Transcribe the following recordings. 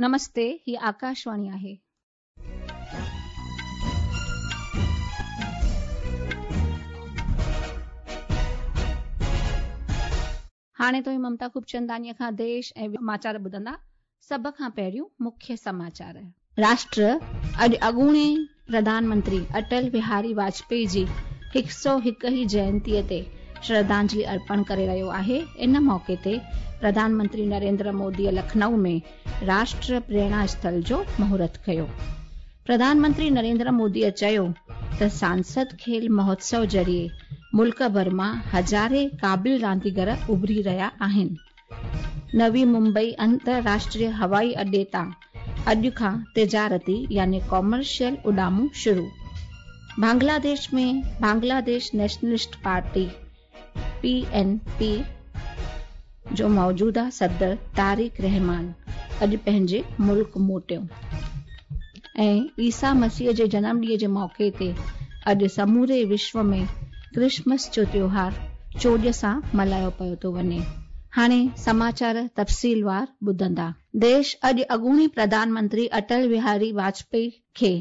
نمستي، هي آڪاشواڻي آهي. هاڻي توهين ممتا خوبچنداڻيء کان ديش ۽ سماچار ٻڌندا. سڀ کان پهريون مکيه سماچار. راشٽر اڄ اڳوڻي پرڌان منتري اٽل بهاري واجپائي جي هڪ سؤ هڪ هين جينتيء تي شرڌانجلي ارپڻ ڪري رهيو آهي. ان موقعي تي پرڌان منتري نريندر موديء لکنؤ ۾ راشٽر پريرڻا اسٿل جو مهورت ڪيو. پرڌان منتري نريندر موديء چيو ته سانسد کيل مهوتسو ذريعي ملڪ ڀر مان هزارين قابل رانديگر اڀري رهيا آهن. نوي ممبئي انترراشٽريه هوائي اڏي تان اڄ کان تجارتي يعني ڪامرشل اڏامون شروع. Bangladesh ۾ Bangladesh nationalist party, B N P, جو موجوده صدر طارق رحمان اڄ پنهنجي ملڪ موٽيو ۽ عيسيٰ مسيح جي جنم ڏينهن جي موقعي تي اڄ سموري وشو ۾ ڪرسمس جو تيوهار چوڄ سان ملهايو پيو ٿو وڃي. هاڻي سماچار تفصيلوار ٻڌندا. ديش اڄ اڳوڻي پرڌان منتري اٽل بهاري واجپائي کي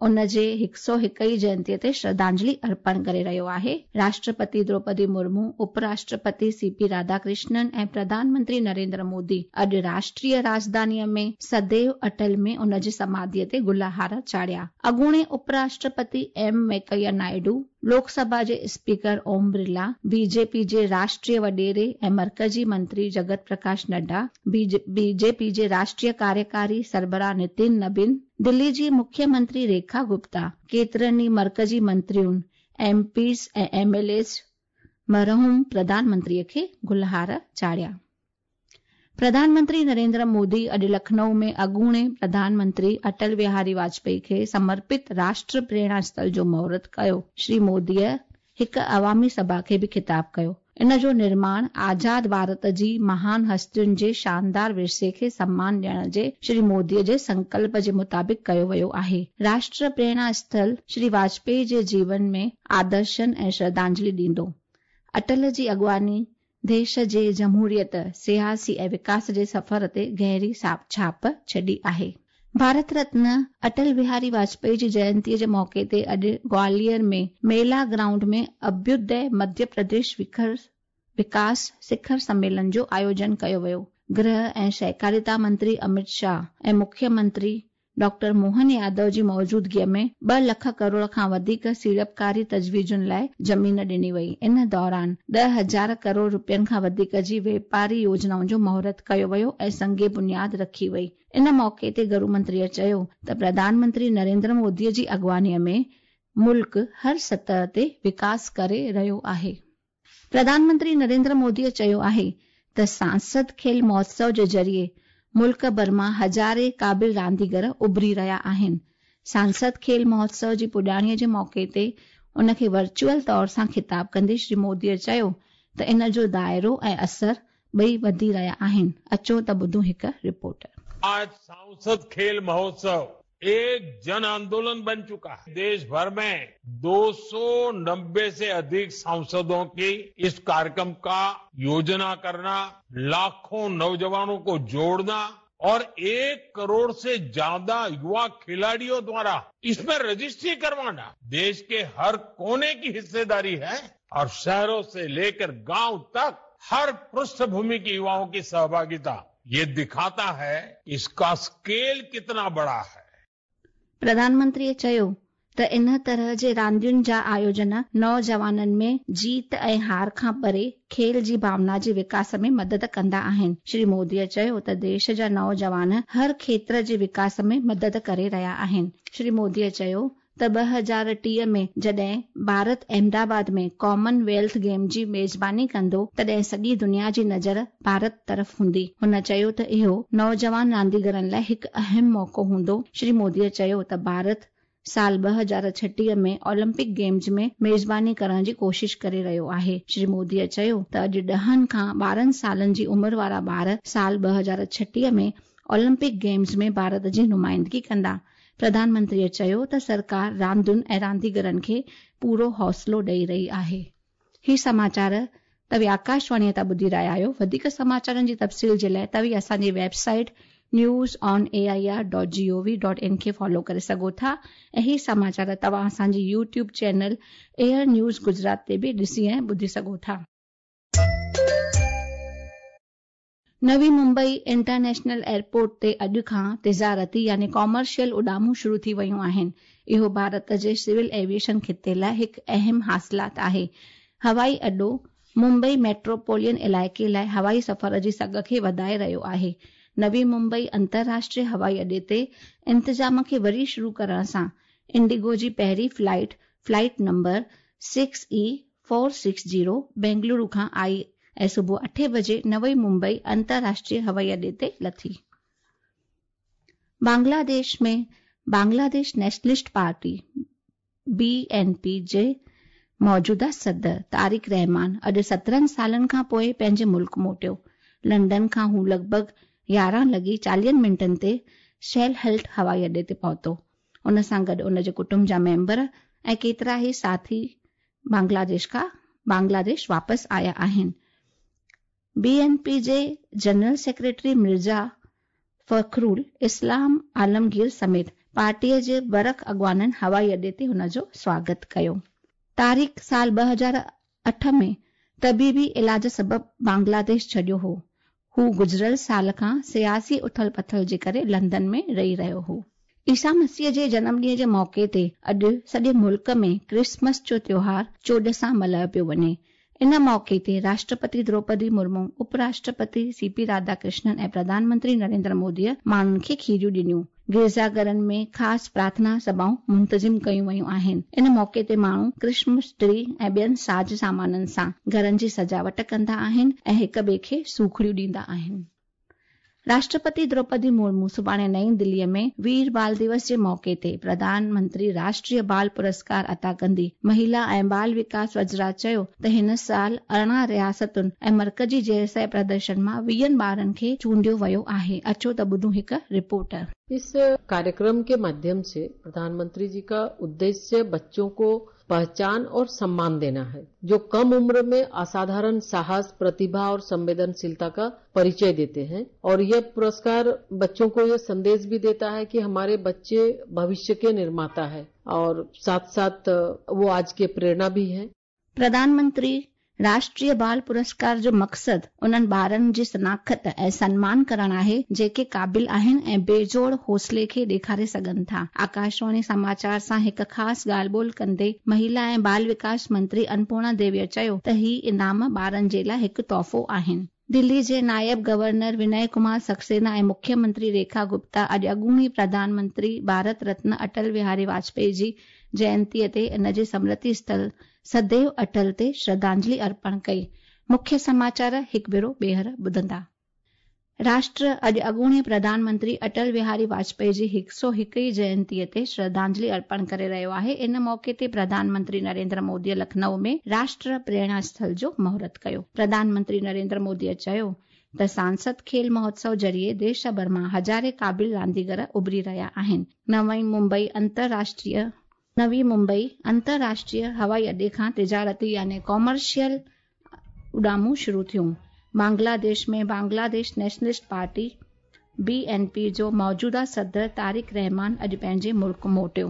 ان جي هڪ سؤ هڪ هين جينتيء تي شرڌانجلي ارپڻ ڪري رهيو آهي. راشٽرپتي دروپدي مرمو، اپ راشٽرپتي سي پي راڌاڪرشنن ۽ پرڌان منتري نريندر مودي اڄ راشٽريه راڄڌانيء ۾ سديو اٽل ۾ ان جي سماڌيء تي گلهار چاڙهيا. اڳوڻي اپ راشٽرپتي ايم وينڪيا نائيڊو، لوڪ سڀا جي اسپيڪر اوم برلا، بي جي پي جي راشٽريه وڏيري ۽ مرڪزي منتري جگت پرڪاش نڊا، بي جي پي جي راشٽريه ڪاريڪاري سربراهه نتين نبين، دلي جي مکيه منتري ريکا گپتا، ڪيترن ئي مرڪزي منترين، M Ps ۽ M L As مرحوم پرڌان منتري کي گلهار چاڙهيا. پرڌان منتري نريندر مودي اڄ لکنؤ ۾ اڳوڻي پرڌان منتري اٽل بهاري واجپائي کي سمرپت راشٽر پريرڻا اسٿل جو مهورت ڪيو. شري موديء هڪ عوامي سڀا کي به خطاب ڪيو. ان جو نرماڻ آزاد ڀارت جي مهان هستين جي شاندار ورثي کي سمان ڏيڻ جي شري موديء جي سنڪلپ جي مطابق ڪيو ويو آهي. راشٽر پريرڻا اسٿل شري واجپائي جي جيون ۾ آدرشن ۽ شرڌانجلي ڏيندو. اٽل جي اڳواڻي ديش جي جمهوريت، سياسي ۽ وڪاس جي سفر تي گهري ڇاپ ڇڏي آهي. ڀارت رتن اٽل بهاري واجپائي جي جينتيء جي موقعي تي اڄ گواليار ۾ ميلا گرائونڊ ۾ اڀيودي مڌيه پرديش وڪاس سکر سميلن جو آيوجن ڪيو ويو. گرهه ۽ سهڪاريتا منتري امت شاهه ۽ مکيه منتري ڊاڪٽر موهن يادو جي موجودگيء ۾ ٻه لک ڪروڙ کان وڌيڪ سيڙپڪاري تجويزن لاء زمين ڏني وئي. ان دوران 10,000 ڪروڙ رپين کان وڌيڪ جي واپاري يوجنائن جو مهورت ڪيو ويو ۽ سنگ بنياد رکي وئي. ان موقعي تي گهرو منتريء چيو ته پرڌان منتري نريندر مودي جي اڳواڻيء ۾ ملڪ هر سطح تي وڪاس ڪري رهيو آهي. پرڌان منتري نريندر موديء چيو آهي ته سانسد کيل مهوتسو جي ذريعي ملڪ ڀر مان هزارين قابل رانديگر اڀري رهيا آهن. سانسد کيل مهوتسو جي پڄاڻيء جي موقعي تي ان کي ورچوئل طور سان خطاب ڪندي شري موديء چيو ته ان جو دائرو ۽ اثر ٻئي وڌي رهيا آهن. اچو ته ٻڌون هڪ رپورٽ. آج سانسد کيل مهوتسو एक जन आंदोलन बन चुका है। देश भर में 290 से अधिक सांसदों की इस कार्यक्रम का योजना करना, लाखों नौजवानों को जोड़ना और 1 करोड़ से ज्यादा युवा खिलाड़ियों द्वारा इसमें रजिस्ट्री करवाना देश के हर कोने की हिस्सेदारी है और शहरों से लेकर गांव तक हर पृष्ठभूमि के युवाओं की सहभागिता ये दिखाता है इसका स्केल कितना बड़ा है। پرڌان منتريء چيو ته ان طرح جي راندين جا آيوجن نوجوانن ۾ جيت ۽ هار کان پري کيل جي ڀاونا جي وڪاس ۾ مدد ڪندا آهن. شري موديء چيو ته ديش جا نوجوان هر کيتر جي وڪاس ۾ مدد ڪري رهيا آهن. شري موديء چيو ته 2030 ۾ جڏهن Bharat Ahmedabad ۾ common wealth game جي ميزباني ڪندو تڏهن سڄي دنيا جي نظر ڀارت طرف هوندي. هن چيو ته اهو نوجوان رانديگرن لاء هڪ اهم موقعو هوندو. شري مودي چيو ته ڀارت سال 2036 ۾ اولمپڪ گيمز ۾ ميزباني ڪرڻ جي ڪوشش ڪري رهيو آهي. شري مودي چيو ته اڄ ڏهن کان 12 سالن جي عمر وارا ٻار سال 2036 ۾ اولمپڪ گيمز ۾ ڀارت جي نمائندگي ڪندا. پرڌان منتريء چيو ته سرڪار راندن ۽ رانديگرن کي پورو حوصلو ڏئي رهي آهي. هي سماچار توهين آڪاشواڻيء تان ٻڌي رهيا آهيو. وڌيڪ سماچارن جي تفصيل جي لاء توهين اسان جي web site News on A I R dot G O V dot in کي فالو ڪري سگهو ٿا ۽ هي سماچار توهان اسان جي YouTube channel AIR news Gujarat تي به ڏسي ۽ ٻڌي سگهو ٿا. نوي ممبئي انٽرنيشنل ايئرپورٽ تي اڄ کان تجارتي يعني ڪامرشل اڏامون شروع ٿي ويون آهن. اهو ڀارت جي سول ايوي ايشن خطي لاء هڪ اهم حاصلات آهي. هوائي اڏو ممبئي ميٽروپولين علائقي لاء هوائي سفر جي سگهه کي وڌائي رهيو آهي. نوي ممبئي انترراشٽريه هوائي اڏي تي انتظام کي وري شروع ڪرڻ سان انڊيگو جي پهرين flight, flight number six E four six zero, Bengaluru کان آئي ۽ صبح اٺين بجي نوي ممبئي انترراشٽريه هوائي اڏي تي لٿي. Bangladesh ۾ Bangladesh nationalist party, B N P, جي موجوده صدر طارق رحمان اڄ سترهن سالن کان پوء پنهنجي ملڪ موٽيو. لنڊن کان هو لڳ ڀڳ يارهن لڳي چاليهن منٽن تي سيلهٽ هوائي اڏي تي پهتو. ان سان گڏ ان جي ڪٽنب جا ميمبر ۽ ڪيترا ئي ساٿي بنگلاديش کان بنگلاديش واپس آيا آهن. بي اين پي جي جنرل سيڪريٽري مرزا فخرول اسلام عالمگير سميت پارٽيء جي برک اڳواڻن هوائي اڏي تي هن جو سواگت ڪيو. طارق سال 2008 ۾ طبيبي علاج سبب بنگلاديش ڇڏيو هو. هو گذريل سال کان سياسي اٿل پٿل جي ڪري لنڊن ۾ رهي رهيو هو. عيسيٰ مسيح جي جنم ڏينهن جي موقعي تي اڄ سڄي ملڪ ۾ ڪرسمس جو تيوهار چوڏ سان ملهايو پيو وڃي. ان موقعي تي راشٽرپتي دروپدي مرمو، اپ راشٽرپتي سي پي راڌا ڪرشنن ۽ پرڌان منتري نريندر موديء ماڻهن کي کيريون ڏنيون. گرجا گهرن ۾ خاص پرارٿنا سڀائون منتظم ڪيون ويون آهن. ان موقعي تي ماڻهو ڪرسمس ٽري ۽ ٻين ساز سامانن سان گهرن جي سجاوٽ ڪندا آهن ۽ هڪ ٻئي کي سوکڙيون ڏيندا آهن. راشٽرپتي دروپدي مرمو سڀاڻي نئين دليء ۾ وير بال دوس جي موقعي تي پرڌان منتري راشٽريه بال پرسڪار عطا ڪندي. مهيلا ۽ بال وڪاس وزارت چيو ته هن سال 18 رياستن ۽ مرڪزي زيرسيٰ پرديشن مان ويهن ٻارن کي چونڊيو ويو آهي. اچو ته ٻڌون هڪ رپورٽ. इस कार्यक्रम के माध्यम से प्रधानमंत्री जी का उद्देश्य बच्चों को पहचान और सम्मान देना है, जो कम उम्र में असाधारण साहस, प्रतिभा और संवेदनशीलता का परिचय देते हैं। और यह पुरस्कार बच्चों को यह संदेश भी देता है कि हमारे बच्चे भविष्य के निर्माता है और साथ साथ वो आज के प्रेरणा भी हैं। प्रधान मंत्री راشٽريه بال پرسڪار جو مقصد انهن ٻارن جي شناخت ۽ سنمان ڪرڻ آهي جيڪي قابل آهن ۽ بي جوڙ حوصلي کي ڏيکاري سگهن ٿا. آڪاشواڻي سماچار سان هڪ خاص ڳالهه ٻولهه ڪندي مهيلا ۽ بال وڪاس منتري انپورڻا ديويء چيو ته هي انعام ٻارن جي لاء هڪ تحفو آهن. دلي جي نائب گورنر ونئي ڪمار سڪسينا ۽ مکيه منتري ريکا گپتا اڄ اڳوڻي پرڌان منتري ڀارت رتن اٽل وهاري واجپائي جي جينتيء تي ان جي سمرتي اسٿل سديو اٽل تي شرڌانجلي ارپڻ ڪئي. مکيه سماچار هڪ ڀيرو ٻيهر ٻڌندا. راشٽر اڄ اڳوڻي پرڌان منتري اٽل وهاري واجپائي جي 101 هين جينتيء تي شرڌانجلي ارپڻ ڪري رهيو آهي. ان موقعي تي پرڌان منتري نريندر موديء لکنؤ ۾ راشٽر پريرڻا اسٿل جو مهورت ڪيو. پرڌان منتري نريندر موديء چيو ته سانسد کيل مهوتسو ذريعي ديش ڀر مان هزارين قابل رانديگر اڀري رهيا آهن. نوي ممبئي انترراشٽريه نوي ممبئي انترراشٽريه هوائي اڏي کان تجارتي يعني ڪامرشل اڏامون شروع ٿيون. Bangladesh ۾ Bangladesh nationalist party, B N P, جو موجوده صدر طارق رحمان اڄ پنهنجي ملڪ موٽيو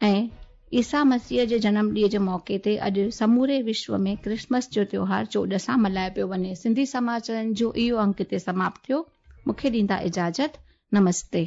۽ عيسيٰ مسيح جي جنم ڏينهن جي موقعي تي اڄ سموري وشو ۾ ڪرسمس جو تيوهار چوڏ سان ملهايو پيو وڃي. سنڌي سماچارن جو اهو انڪ هتي سماپت ٿيو. مون کي ڏيندا اجازت. نمستي.